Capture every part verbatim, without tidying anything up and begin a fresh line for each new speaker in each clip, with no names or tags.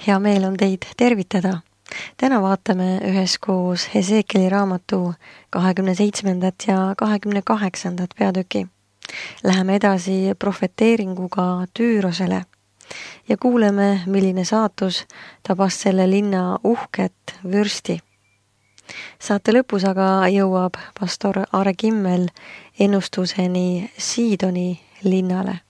Hea meel on teid tervitada. Täna vaatame üheskoos Hesekieli raamatu kahekümne seitsmendat ja kahekümne kaheksandat peatüki. Läheme edasi profeteeringuga Tüürosele ja kuuleme, milline saatus tabas selle linna uhket vürsti. Saate lõpus aga jõuab pastor Aare Kimmel ennustuseni Siidoni linnale.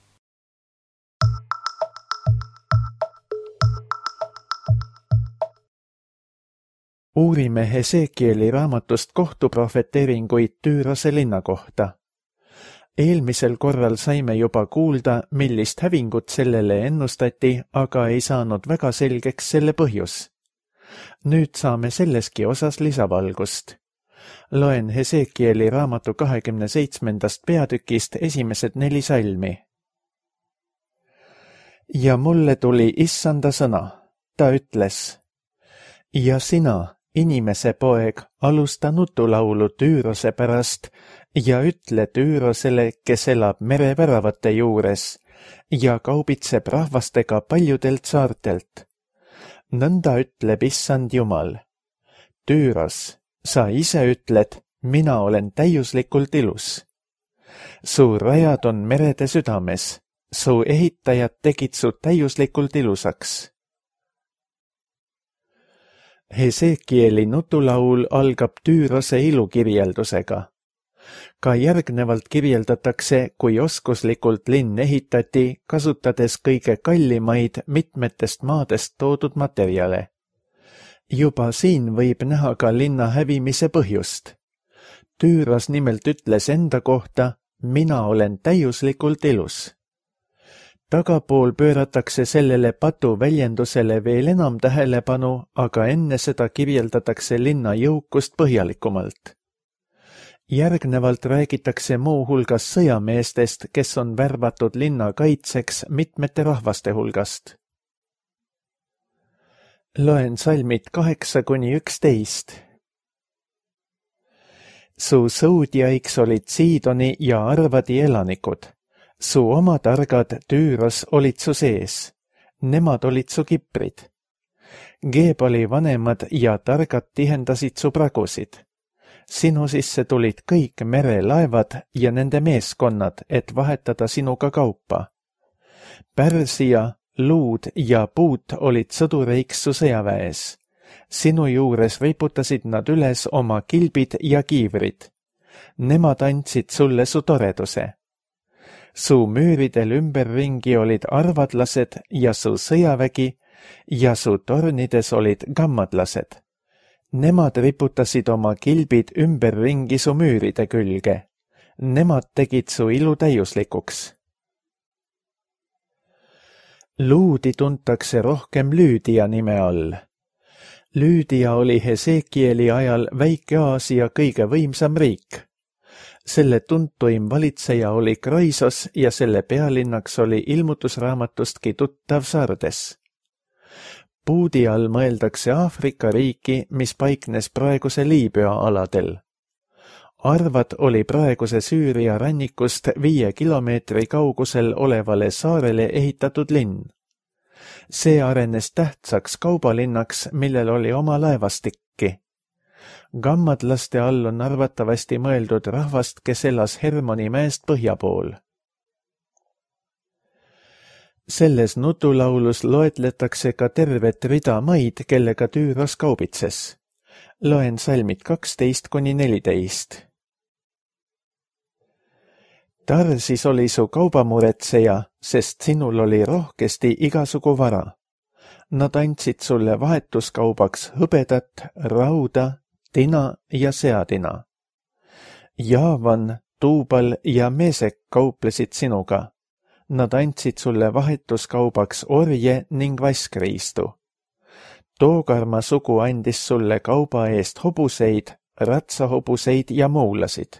Uurime Hesekieli raamatust kohtuprofeteeringuid Tüürose linna kohta. Eelmisel korral saime juba kuulda, millist hävingut sellele ennustati, aga ei saanud väga selgeks selle põhjus. Nüüd saame selleski osas lisavalgust. Loen Hesekieli raamatu kahekümne seitsmendast peatükist esimesed neli salmi. Ja mulle tuli issanda sõna. Ta ütles, ja sina, inimese poeg, alusta nutulaulu Tüürose pärast ja ütle Tüürosele, kes elab mereväravate juures ja kaubitseb rahvastega paljudelt saartelt. Nõnda ütleb issand Jumal. Tüüros, sa ise ütled, mina olen täiuslikult ilus. Su rajad on merede südames, su ehitajad tegid su täiuslikult ilusaks. Hesekieli nutulaul algab Tüürose ilukirjeldusega. Ka järgnevalt kirjeldatakse, kui oskuslikult linn ehitati, kasutades kõige kallimaid mitmetest maadest toodud materjale. Juba siin võib näha ka linna hävimise põhjust. Tüüros nimelt ütles enda kohta, mina olen täiuslikult ilus. Tagapool pööratakse sellele patu väljendusele veel enam tähelepanu, aga enne seda kirjeldatakse linna jõukust põhjalikumalt. Järgnevalt räägitakse muu hulgas sõjameestest, kes on värvatud linna kaitseks mitmete rahvaste hulgast. Loen salmid kaheksa kuni üksteist. Su sõudjaiks olid Siidoni ja Arvadi elanikud. Su oma targad Tüüros olid su sees. Nemad olid su kiprid. Geebali vanemad ja targad tihendasid su pragusid. Sinu sisse tulid kõik merelaevad ja nende meeskonnad, et vahetada sinuga kaupa. Pärsia, Luud ja Puut olid sõdureiks su sõjaväes. Sinu juures riputasid nad üles oma kilbid ja kiivrid. Nemad andsid sulle su toreduse. Su müüridel ümberringi olid arvadlased ja su sõjavägi ja su tornides olid gammadlased. Nemad riputasid oma kilbid ümberringi su müüride külge. Nemad tegid su ilu täiuslikuks. Luudi tuntakse rohkem Lüüdia nime all. Lüüdia oli Hesekieli ajal Väike-Aasia kõige võimsam riik. Selle tuntuim valitseja oli Kroisos ja selle pealinnaks oli ilmutusraamatustki tuttav Sardes. Puudi all mõeldakse Aafrika riiki, mis paiknes praeguse Liibüa aladel. Arvad oli praeguse Süüria rannikust viie kilomeetri kaugusel olevale saarele ehitatud linn. See arenes tähtsaks kaubalinnaks, millel oli oma laevastikki. Gammadlaste all on arvatavasti mõeldud rahvast, kes elas Hermoni mäest põhja pool. Selles nutulaulus loetletakse ka tervet rida maid, kellega Tüüros kaubitses. Loen salmid kaksteist kuni neliteist. Tarsis oli su kaubamuretseja, sest sinul oli rohkesti igasugu vara. Nad andsid sulle vahetuskaubaks hõbedat, rauda, tina ja seadina. Jaavan, Tuubal ja Meesek kauplesid sinuga. Nad andsid sulle vahetuskaubaks orje ning vaskriistu. Toogarma sugu andis sulle kauba eest hobuseid, ratsahobuseid ja moulasid.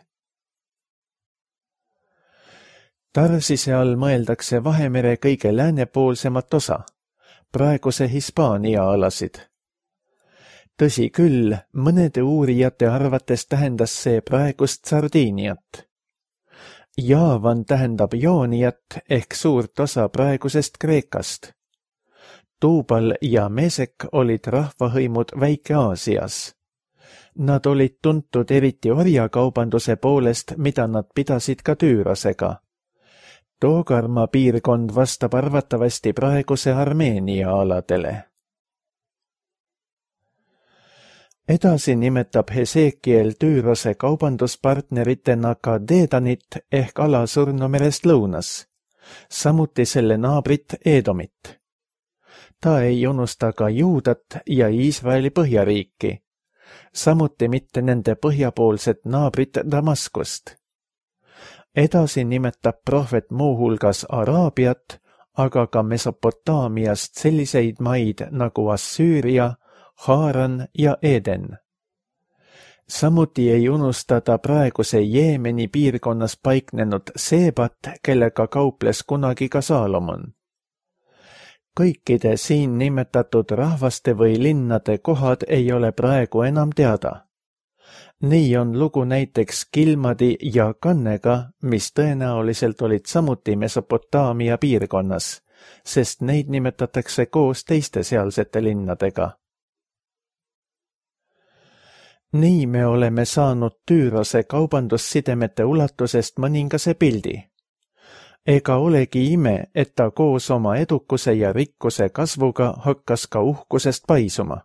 Tarsise all mõeldakse Vahemere kõige läänepoolsemat osa, praeguse Hispaania alasid. Tõsi küll, mõnede uurijate arvates tähendas see praegust Sardiiniat. Jaavan tähendab Jooniat ehk suurt osa praegusest Kreekast. Tuubal ja Mesek olid rahvahõimud Väike-Aasias. Nad olid tuntud eriti orjakaubanduse poolest, mida nad pidasid ka Tüürosega. Toogarma piirkond vastab arvatavasti praeguse Armeenia aladele. Edasi nimetab Hesekiel Tüürose kaubanduspartneritena ka Deedanit ehk ala Surnumerest lõunas, samuti selle naabrit Edomit. Ta ei unusta ka Juudat ja Iisraeli põhjariiki, samuti mitte nende põhjapoolset naabrit Damaskust. Edasi nimetab prohvet muuhulgas Araabiat, aga ka Mesopotaamiast selliseid maid nagu Assüüria, Haaran ja Eden. Samuti ei unustada praeguse Jeemeni piirkonnas paiknenud Seebat, kellega kauples kunagi ka Saalomon. Kõikide siin nimetatud rahvaste või linnade kohad ei ole praegu enam teada. Nii on lugu näiteks Kilmadi ja Kannega, mis tõenäoliselt olid samuti Mesopotaamia piirkonnas, sest neid nimetatakse koos teiste sealsete linnadega. Nii me oleme saanud Tüürose kaubandussidemete ulatusest mõningase pildi. Ega olegi ime, et ta koos oma edukuse ja rikkuse kasvuga hakkas ka uhkusest paisuma.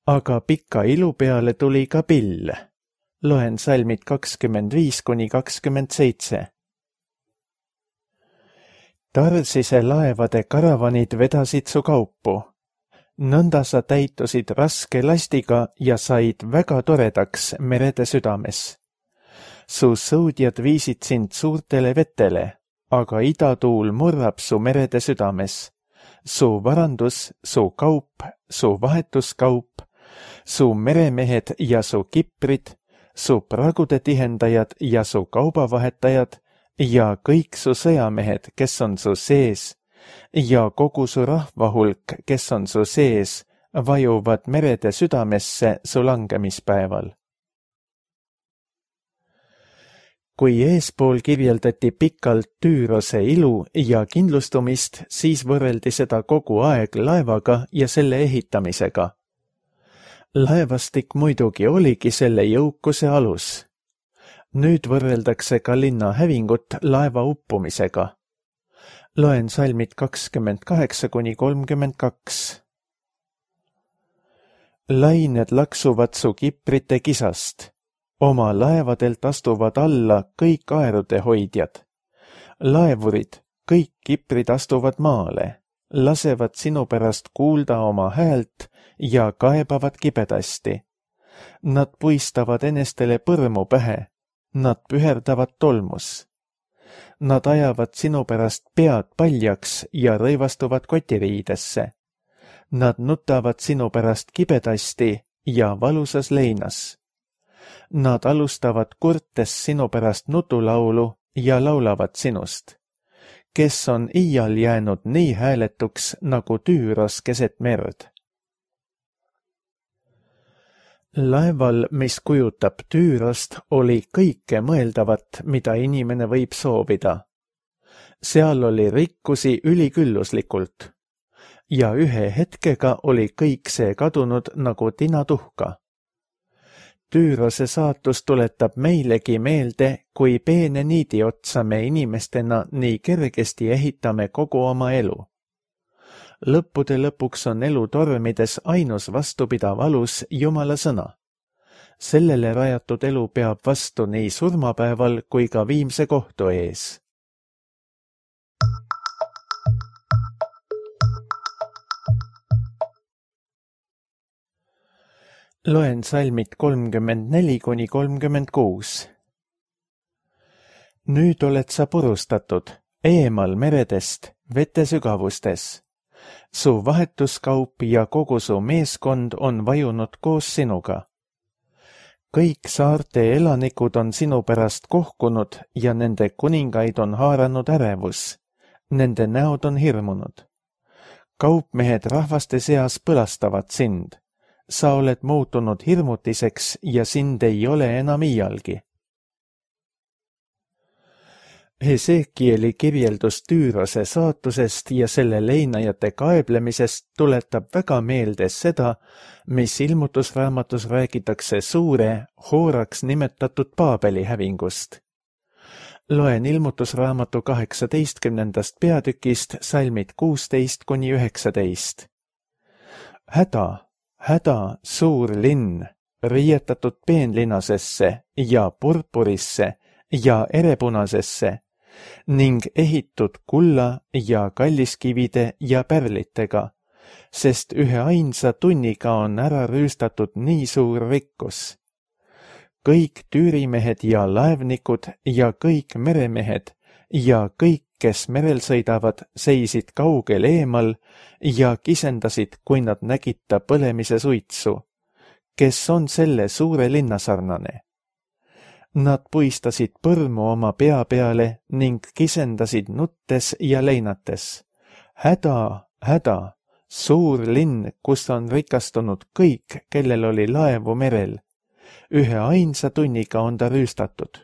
Aga pika ilu peale tuli ka pill. Loen salmid kakskümmend viis kuni kakskümmend seitse. Tarsise laevade karavanid vedasid su kaupu. Nõnda sa täitusid raske lastiga ja said väga toredaks merede südames. Su sõudjad viisid sind suurtele vetele, aga idatuul murrab su merede südames. Su varandus, su kaup, su vahetuskaup, su meremehed ja su kiprid, su pragude tihendajad ja su kaubavahetajad ja kõik su sõjamehed, kes on su sees, ja kogu su rahvahulk, kes on su sees, vajuvad merede südamesse su langemispäeval. Kui eespool kirjeldati pikalt Tüürose ilu ja kindlustumist, siis võrreldi seda kogu aeg laevaga ja selle ehitamisega. Laevastik muidugi oligi selle jõukuse alus. Nüüd võrreldakse ka linna hävingut laeva uppumisega. Loen salmid kakskümmend kaheksa kuni kolmkümmend kaks. Lained laksuvad su kiprite kisast. Oma laevadelt astuvad alla kõik aerude hoidjad. Laevurid, kõik kiprid astuvad maale, lasevad sinu pärast kuulda oma häält ja kaebavad kibedasti. Nad puistavad enestele põrmu pähe, nad püherdavad tolmus. Nad ajavad sinu pärast pead paljaks ja rõivastuvad kotiriidesse. Nad nutavad sinu pärast kibedasti ja valusas leinas. Nad alustavad kurtes sinu pärast nutulaulu ja laulavad sinust, kes on iial jäänud nii hääletuks nagu Tüüros keset merd. Laeval, mis kujutab Tüürost, oli kõike mõeldavat, mida inimene võib soovida. Seal oli rikkusi ülikülluslikult ja ühe hetkega oli kõik see kadunud nagu tinatuhka. Tüürose saatus tuletab meilegi meelde, kui peene niidi otsa me inimestena nii kergesti ehitame kogu oma elu. Lõppude lõpuks on elu tormides ainus vastupidav alus Jumala sõna. Sellele rajatud elu peab vastu nii surmapäeval kui ka viimse kohtu ees. Loen salmid kolmkümmend neli kuni kolmkümmend kuus. Nüüd oled sa purustatud, eemal meredest, vete sügavustes. Su vahetuskaup ja kogu su meeskond on vajunud koos sinuga. Kõik saarte elanikud on sinu pärast kohkunud ja nende kuningaid on haaranud ärevus. Nende näod on hirmunud. Kaupmehed rahvaste seas põlastavad sind. Sa oled muutunud hirmutiseks ja sind ei ole enam iialgi. Hesekieli kirjeldus Tüürose saatusest ja selle leinajate kaeblemisest tuletab väga meelde seda, mis ilmutusraamatus räägitakse suure, hooraks nimetatud Paabeli hävingust. Loen ilmutusraamatu kaheksateistkümnendast peatükist salmid kuusteist kuni üheksateist. Häda, häda, suur linn, riietatud peenlinasesse ja purpurisse ja erepunasesse ning ehitud kulla ja kalliskivide ja pärlitega, sest ühe ainsa tunniga on ära rüüstatud nii suur rikkus. Kõik tüürimehed ja laevnikud ja kõik meremehed ja kõik, kes merel sõidavad, seisid kaugel eemal ja kisendasid, kui nad nägid ta põlemise suitsu, kes on selle suure linna sarnane. Nad puistasid põrmu oma pea peale ning kisendasid nuttes ja leinates. Häda, häda, suur linn, kus on rikastunud kõik, kellel oli laevu merel. Ühe ainsa tunniga on ta rüüstatud.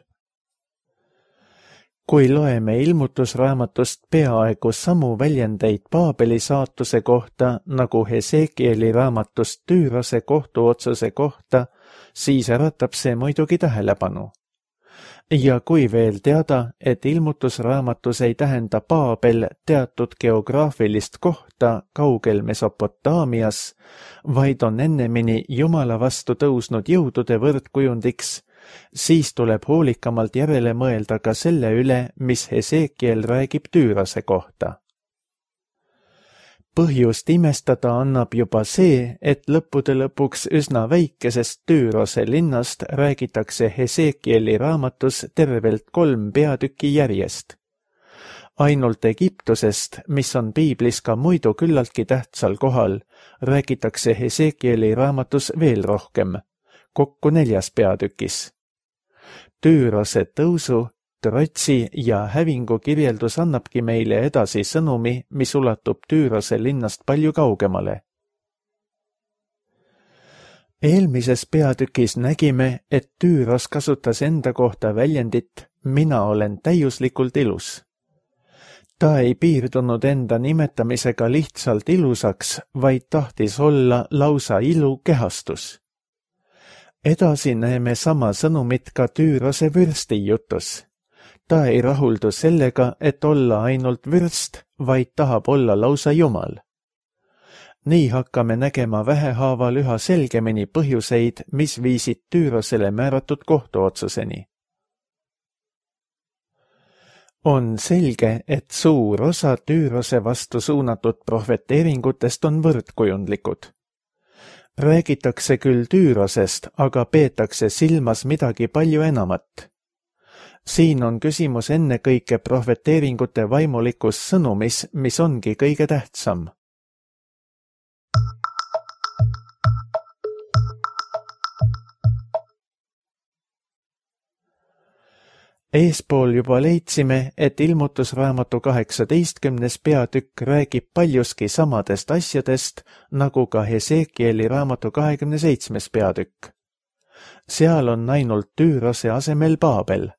Kui loeme ilmutusraamatust peaaegu samu väljendeid Paabeli saatuse kohta, nagu Hesekieli raamatust Tüürose kohtuotsuse kohta, siis äratab see muidugi tähelepanu. Ja kui veel teada, et ilmutusraamatus ei tähenda Paabel teatud geograafilist kohta kaugel Mesopotaamias, vaid on ennemini Jumala vastu tõusnud jõudude võrdkujundiks, siis tuleb hoolikamalt järele mõelda ka selle üle, mis Hesekiel räägib Tüürose kohta. Põhjust imestada annab juba see, et lõppude lõpuks üsna väikesest Tüürose linnast räägitakse Hesekieli raamatus tervelt kolm peatükki järjest. Ainult Egiptusest, mis on piiblis ka muidu küllaltki tähtsal kohal, räägitakse Hesekieli raamatus veel rohkem, kokku neljas peatükis. Tüürose tõusu, trotsi ja hävingu kirjeldus annabki meile edasi sõnumi, mis ulatub Tüürose linnast palju kaugemale. Eelmises peatükis nägime, et Tüüros kasutas enda kohta väljendit mina olen täiuslikult ilus. Ta ei piirdunud enda nimetamisega lihtsalt ilusaks, vaid tahtis olla lausa ilu kehastus. Edasi näeme sama sõnumit ka Tüürose vürsti jutus. Ta ei rahuldu sellega, et olla ainult vürst, vaid tahab olla lausa Jumal. Nii hakkame nägema vähehaaval üha selgemini põhjuseid, mis viisid Tüürosele määratud kohtuotsuseni. On selge, et suur osa Tüürose vastu suunatud prohveteeringutest on võrdkujundlikud. Räägitakse küll Tüürosest, aga peetakse silmas midagi palju enamat. Siin on küsimus ennekõike prohveteeringute vaimulikus sõnumis, mis ongi kõige tähtsam. Eespool juba leidsime, et ilmutusraamatu kaheksateistkümnes peatükk räägib paljuski samadest asjadest, nagu ka Hesekieli raamatu kahekümne seitsmes peatükk. Seal on ainult Tüürose asemel Paabel.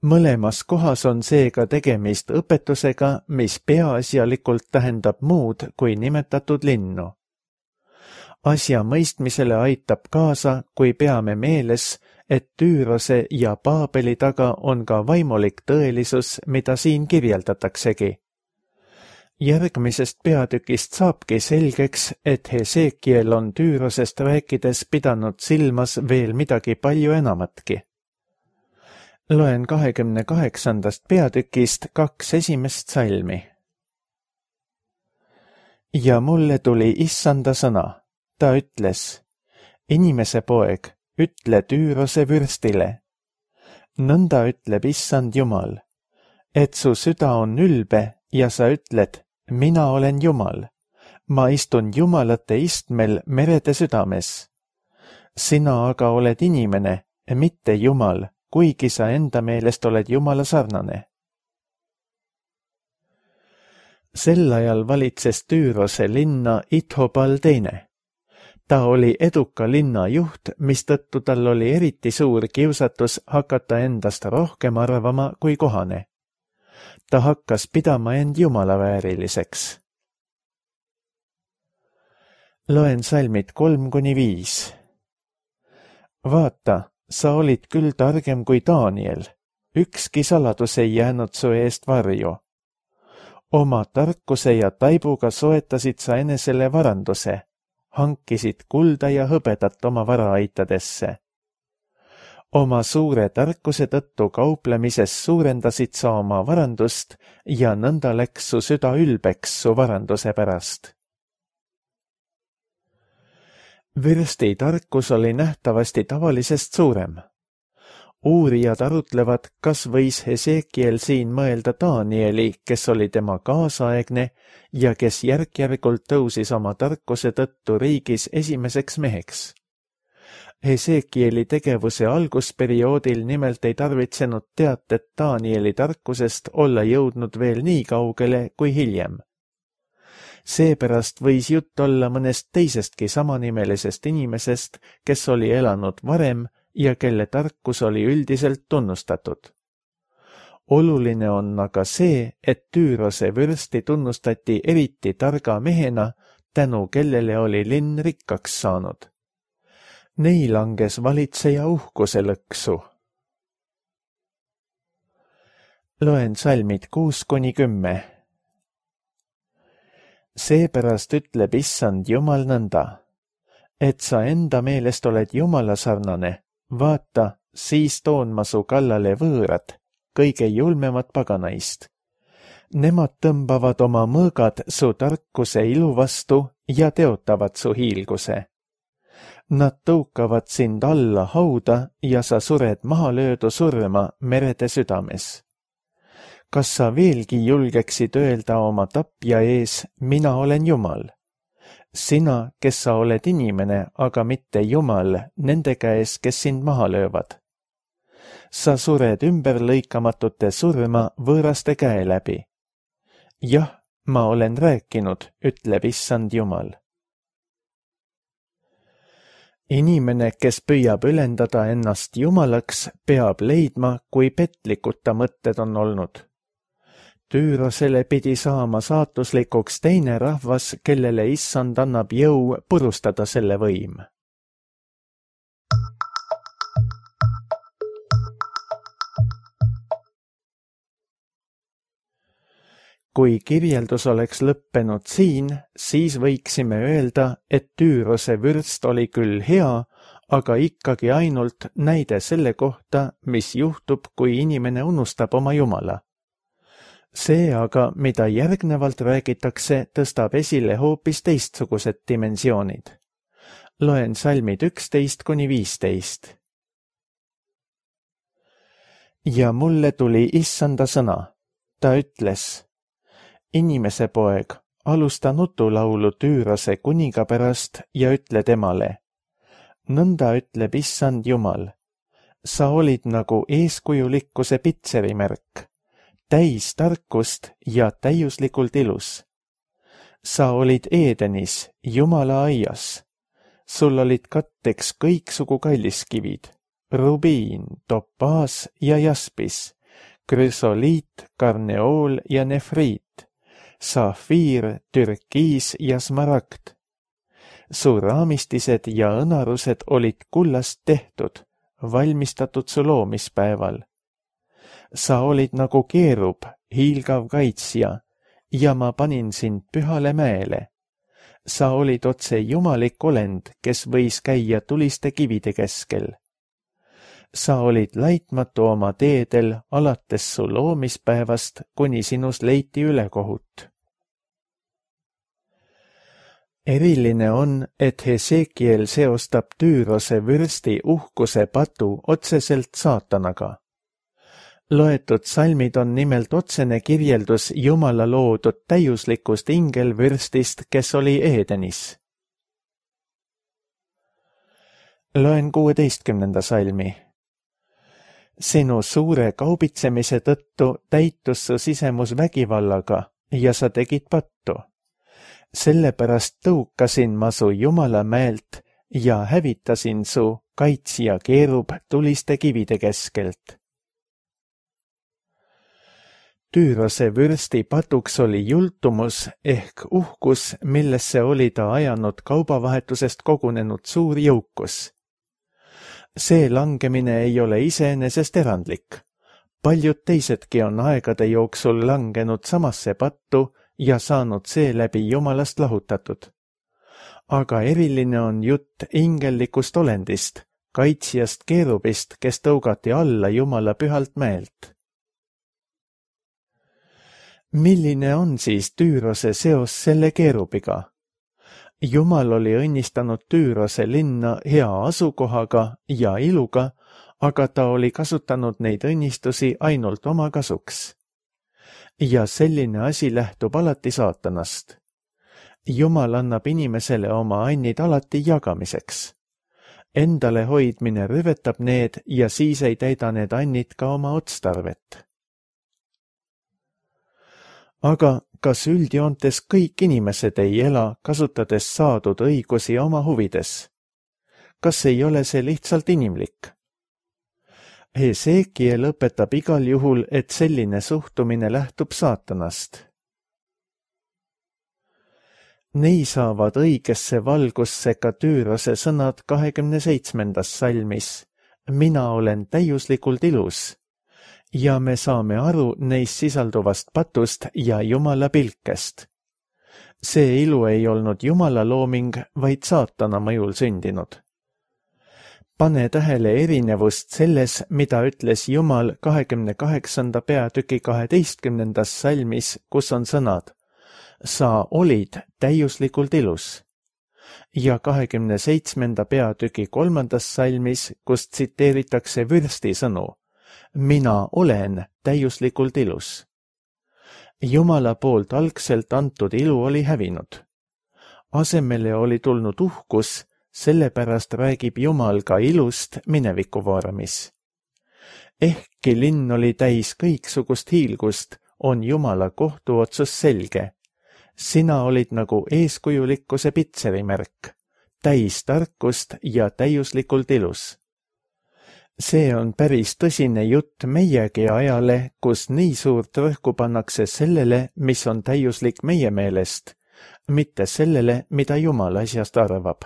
Mõlemas kohas on seega tegemist õpetusega, mis peaasjalikult tähendab muud kui nimetatud linnu. Asja mõistmisele aitab kaasa, kui peame meeles, et Tüürose ja Paabeli taga on ka vaimulik tõelisus, mida siin kirjeldataksegi. Järgmisest peatükist saabki selgeks, et Hesekiel on Tüürosest rääkides pidanud silmas veel midagi palju enamatki. Loen kahekümne kaheksandast peatükist kaks esimest salmi. Ja mulle tuli issanda sõna. Ta ütles, inimese poeg, ütle Tüürose vürstile. Nõnda ütleb issand Jumal, et su süda on ülbe ja sa ütled, mina olen Jumal. Ma istun jumalate istmel merede südames. Sina aga oled inimene, mitte Jumal, kuigi sa enda meelest oled Jumala sarnane. Sel ajal valitses Tüürose linna Ithobal teine. Ta oli eduka linna juht, mistõttu tal oli eriti suur kiusatus hakata endast rohkem arvama kui kohane. Ta hakkas pidama end Jumala vääriliseks. Loen salmid kolm kuni viis. Vaata, sa olid küll targem kui Daniel. Ükski saladus ei jäänud su eest varju. Oma tarkuse ja taibuga soetasid sa enesele varanduse, hankisid kulda ja hõbedat oma varaaitadesse. Oma suure tarkuse tõttu kauplemises suurendasid sa oma varandust ja nõnda läks su süda ülbeks su varanduse pärast. Vürsti tarkus oli nähtavasti tavalisest suurem. Uurijad arutlevad, kas võis Hesekiel siin mõelda Danieli, kes oli tema kaasaegne ja kes järk-järgult tõusis oma tarkuse tõttu riigis esimeseks meheks. Hesekieli tegevuse algusperioodil nimelt ei tarvitsenud teatet Danieli tarkusest olla jõudnud veel nii kaugele kui hiljem. Seepärast võis jutt olla mõnest teisestki samanimelisest inimesest, kes oli elanud varem ja kelle tarkus oli üldiselt tunnustatud. Oluline on aga see, et Tüürose vürsti tunnustati eriti targa mehena, tänu kellele oli linn rikkaks saanud. Nei langes valitseja uhkuse lõksu. Loen salmid kuus kuni kümme. Seepärast ütleb issand Jumal nõnda, et sa enda meelest oled Jumala sarnane, vaata, siis toon ma su kallale võõrad, kõige julmemad paganaist. Nemad tõmbavad oma mõõgad su tarkuse ilu vastu ja teotavad su hiilguse. Nad tõukavad sind alla hauda ja sa sured mahalöödu surma merede südames. Kas sa veelgi julgeksid öelda oma tapja ees, mina olen Jumal? Sina, kes sa oled inimene, aga mitte Jumal, nende käes, kes sind maha löövad. Sa sured ümberlõikamatute surma võõraste käe läbi. Jah, ma olen rääkinud, ütleb issand Jumal. Inimene, kes püüab ülendada ennast Jumalaks, peab leidma, kui petlikud ta mõtted on olnud. Tüürosele pidi saama saatuslikuks teine rahvas, kellele issand annab jõu purustada selle võim. Kui kirjeldus oleks lõppenud siin, siis võiksime öelda, et Tüürose vürst oli küll hea, aga ikkagi ainult näide selle kohta, mis juhtub, kui inimene unustab oma Jumala. See aga, mida järgnevalt räägitakse, tõstab esile hoopis teistsugused dimensioonid. Loen salmid üksteist kuni viisteist. Ja mulle tuli issanda sõna. Ta ütles, inimese poeg, alusta nutulaulu Tüürose kuninga pärast ja ütle temale. Nõnda ütleb issand Jumal. Sa olid nagu eeskujulikkuse pitserimärk. Täis tarkust ja täiuslikult ilus. Sa olid Edenis, Jumala aias. Sul olid katteks kõiksugu kalliskivid, rubiin, topaas ja jaspis, krüsoliit, karneool ja nefriit, safiir, türkiis ja smaragd. Su raamistised ja õnarused olid kullast tehtud, valmistatud su loomispäeval. Sa olid nagu keerub, hiilgav kaitsja, ja ma panin sind pühale mäele. Sa olid otse jumalik olend, kes võis käia tuliste kivide keskel. Sa olid laitmatu oma teedel alates su loomispäevast, kuni sinus leiti ülekohut. Eriline on, et Hesekiel seostab Tüürose vürsti uhkuse patu otseselt saatanaga. Loetud salmid on nimelt otsene kirjeldus Jumala loodud täiuslikust ingelvürstist, kes oli Edenis. Loen kuueteistkümnenda salmi. Sinu suure kaubitsemise tõttu täitus su sisemus vägivallaga ja sa tegid pattu. Sellepärast tõukasin ma su Jumala mäelt ja hävitasin su kaitsja keerub tuliste kivide keskelt. Tüürose vürsti patuks oli jultumus ehk uhkus, millesse oli ta ajanud kaubavahetusest kogunenud suur jõukus. See langemine ei ole iseenesest erandlik. Paljud teisedki on aegade jooksul langenud samasse pattu ja saanud seeläbi Jumalast lahutatud. Aga eriline on jutt ingellikust olendist, kaitsjast keerubist, kes tõugati alla Jumala pühalt mäelt. Milline on siis Tüürose seos selle keerubiga? Jumal oli õnnistanud Tüürose linna hea asukohaga ja iluga, aga ta oli kasutanud neid õnnistusi ainult oma kasuks. Ja selline asi lähtub alati saatanast. Jumal annab inimesele oma annid alati jagamiseks. Endale hoidmine rüvetab need ja siis ei täida need annid ka oma otstarvet. Aga kas üldjoontes kõik inimesed ei ela, kasutades saadud õigusi oma huvides? Kas ei ole see lihtsalt inimlik? Hesekiel õpetab igal juhul, et selline suhtumine lähtub saatanast. Nii saavad õigesse valgusse ka Tüürose sõnad kahekümne seitsmendas salmis. Mina olen täiuslikult ilus. Ja me saame aru neis sisalduvast patust ja Jumala pilkest. See ilu ei olnud Jumala looming, vaid saatana mõjul sündinud. Pane tähele erinevust selles, mida ütles Jumal kahekümne kaheksanda peatüki kaheteistkümnendas salmis, kus on sõnad Sa olid täiuslikult ilus. Ja kahekümne seitsmenda peatüki kolmandas salmis, kus tsiteeritakse vürsti sõnu Mina olen täiuslikult ilus. Jumala poolt algselt antud ilu oli hävinud. Asemele oli tulnud uhkus, sellepärast räägib Jumal ka ilust mineviku vormis. Ehkki linn oli täis kõiksugust hiilgust, on Jumala kohtuotsus selge. Sina olid nagu eeskujulikkuse pitserimärk, täis tarkust ja täiuslikult ilus. See on päris tõsine jutt meiegi ajale, kus nii suurt rõhku pannakse sellele, mis on täiuslik meie meelest, mitte sellele, mida Jumal asjast arvab.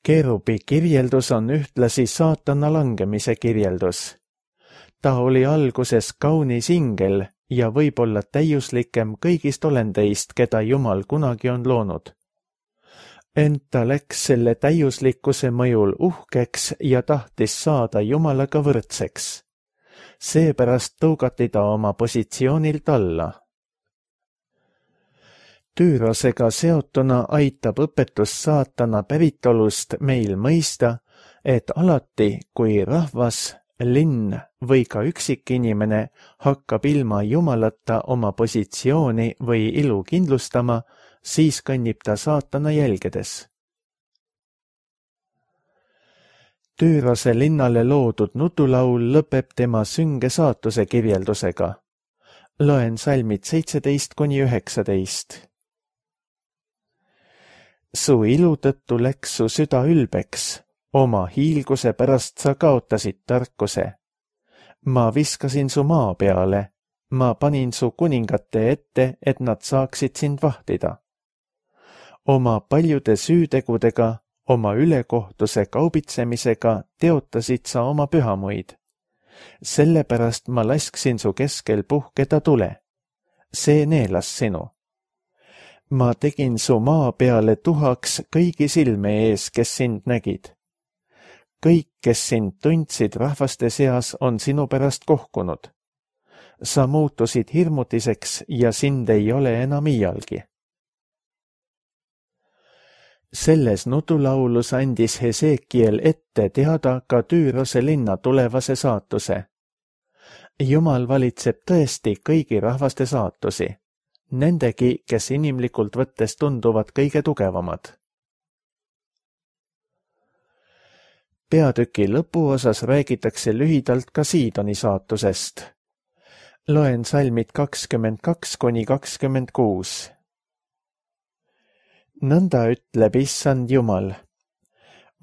Keerubi kirjeldus on ühtlasi saatana langemise kirjeldus. Ta oli alguses kaunis ingel ja võib-olla täiuslikem kõigist olendeist, keda Jumal kunagi on loonud. Ent ta läks selle täiuslikkuse mõjul uhkeks ja tahtis saada Jumalaga võrdseks. Seepärast tõugati ta oma positsioonilt alla. Tüürosega seotuna aitab õpetus saatana päritolust meil mõista, et alati, kui rahvas, linn või ka üksikinimene hakkab ilma Jumalata oma positsiooni või ilu kindlustama, siis kõnnib ta saatana jälgedes. Tüürose linnale loodud nutulaul lõpeb tema sünge saatuse kirjeldusega. Loen salmid seitseteist kuni üheksateist. Su ilu tõttu läks su süda ülbeks, oma hiilguse pärast sa kaotasid tarkuse. Ma viskasin su maa peale, ma panin su kuningate ette, et nad saaksid sind vahtida. Oma paljude süütegudega, oma ülekohtuse kaubitsemisega teotasid sa oma pühamuid. Sellepärast ma lasksin su keskel puhkeda tule. See neelas sinu. Ma tegin su maa peale tuhaks kõigi silme ees, kes sind nägid. Kõik, kes sind tundsid rahvaste seas, on sinu pärast kohkunud. Sa muutusid hirmutiseks ja sind ei ole enam iialgi. Selles nutulaulus andis Hesekiel ette teada ka Tüürose linna tulevase saatuse. Jumal valitseb tõesti kõigi rahvaste saatusi. Nendegi, kes inimlikult võttes tunduvad kõige tugevamad. Peatüki lõpuosas räägitakse lühidalt ka Siidoni saatusest. Loen salmid kakskümmend kaks kuni kakskümmend kuus. Nõnda ütleb Issand Jumal.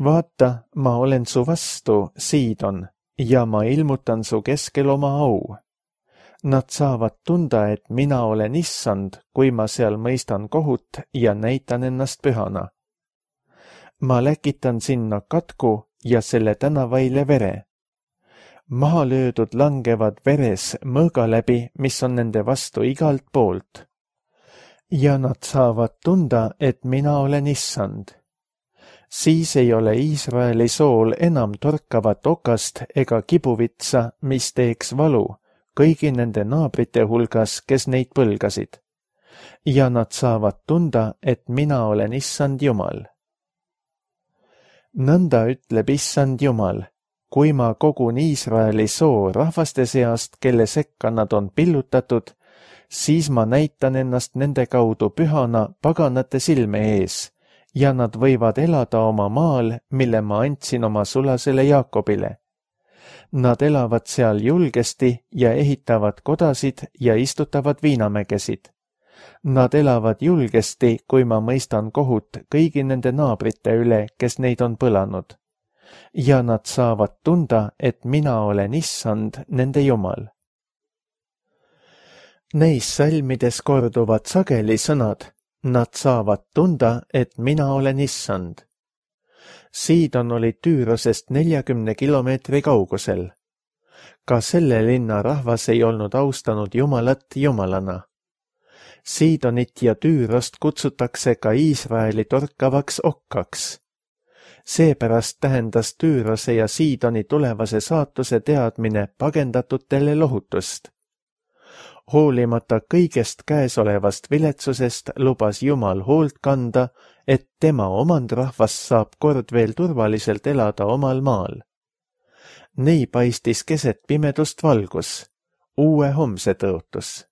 Vaata, ma olen su vastu, Siidon, ja ma ilmutan su keskel oma au. Nad saavad tunda, et mina olen Issand, kui ma seal mõistan kohut ja näitan ennast pühana. Ma läkitan sinna katku ja selle tänavaile vere. Maha löödud langevad veres mõõga läbi, mis on nende vastu igalt poolt. Ja nad saavad tunda, et mina olen Issand. Siis ei ole Iisraeli sool enam torkavat okast ega kibuvitsa, mis teeks valu kõigi nende naabrite hulgas, kes neid põlgasid. Ja nad saavad tunda, et mina olen Issand Jumal. Nõnda ütleb Issand Jumal, kui ma kogun Iisraeli soo rahvaste seast, kelle sekka nad on pillutatud, siis ma näitan ennast nende kaudu pühana paganate silme ees ja nad võivad elada oma maal, mille ma andsin oma sulasele Jaakobile. Nad elavad seal julgesti ja ehitavad kodasid ja istutavad viinamägesid. Nad elavad julgesti, kui ma mõistan kohut kõigi nende naabrite üle, kes neid on põlanud. Ja nad saavad tunda, et mina olen Issand, nende Jumal. Neis salmides korduvad sageli sõnad, nad saavad tunda, et mina olen Issand. Siidon oli Tüürosest neljakümne kilomeetri kaugusel. Ka selle linna rahvas ei olnud austanud Jumalat Jumalana. Siidonit ja Tüürost kutsutakse ka Iisraeli torkavaks okkaks. Seepärast tähendas Tüürose ja Siidoni tulevase saatuse teadmine pagendatutele lohutust. Hoolimata kõigest käesolevast viletsusest lubas Jumal hoolt kanda, et tema omandrahvas saab kord veel turvaliselt elada omal maal. Nii paistis keset pimedust valgus, uue homse tõotus.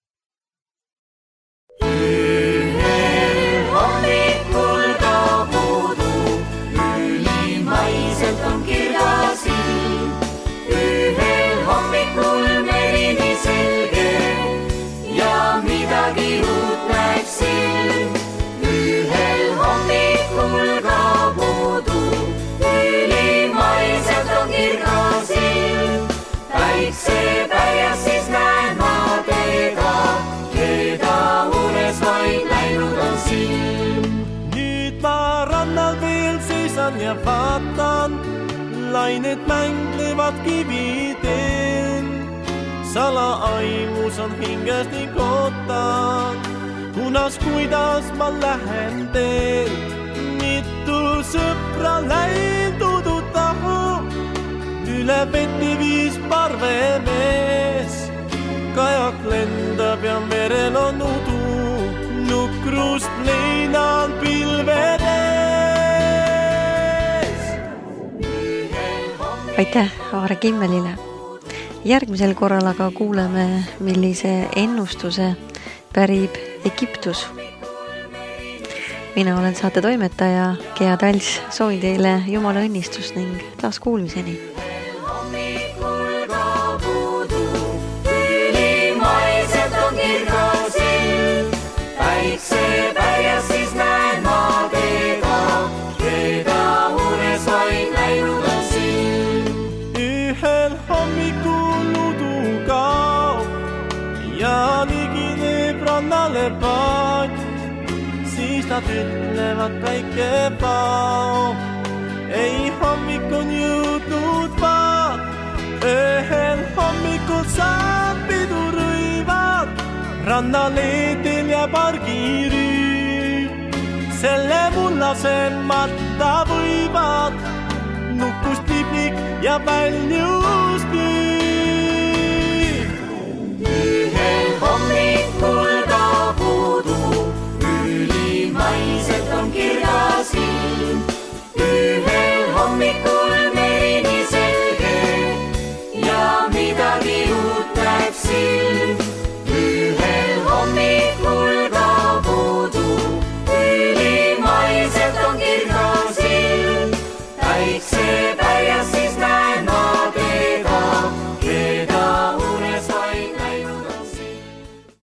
Ühel hommikul kaob udu, ülimaiselt on kirjas ilm. Ühel hommikul merini selge ja midagi uut näeb silm. Ühel hommikul kaob udu, ülimaiselt on kirjas ilm. Päiksepäias siis näen ma teda, keda unes vaid läinud on silm.
Nüüd ma rannal veel seisan ja vaatan, lained mänglevad kividel. Salaaimus on hinges ning ootan, kunas kuidas ma lähen teel. Mitu sõpra läinud tahu, üle vette viis parvemees. Kajak lendab ja merel on udu, nukrust leinan pilvedes.
Aitäh Aare Kimmelile. Järgmisel korral aga kuuleme, millise ennustuse pärib Egiptus. Mina olen saate toimetaja Gea Tals, soovin teile Jumala õnnistust ning taas kuulmiseni.
Päiksepäias siis näen ma teda, keda unes vaid läinud on silm.
Ühel hommikul udu kaob ja ligineb rannale paat. Siis nad ütlevad päike pao, ei hommik on jõudnud vaat. Ühel hommikul saab pidu rõivad, rannaleedel ja pargirüü. Selle mullasemata võivad nukkust liblik ja väljust küü.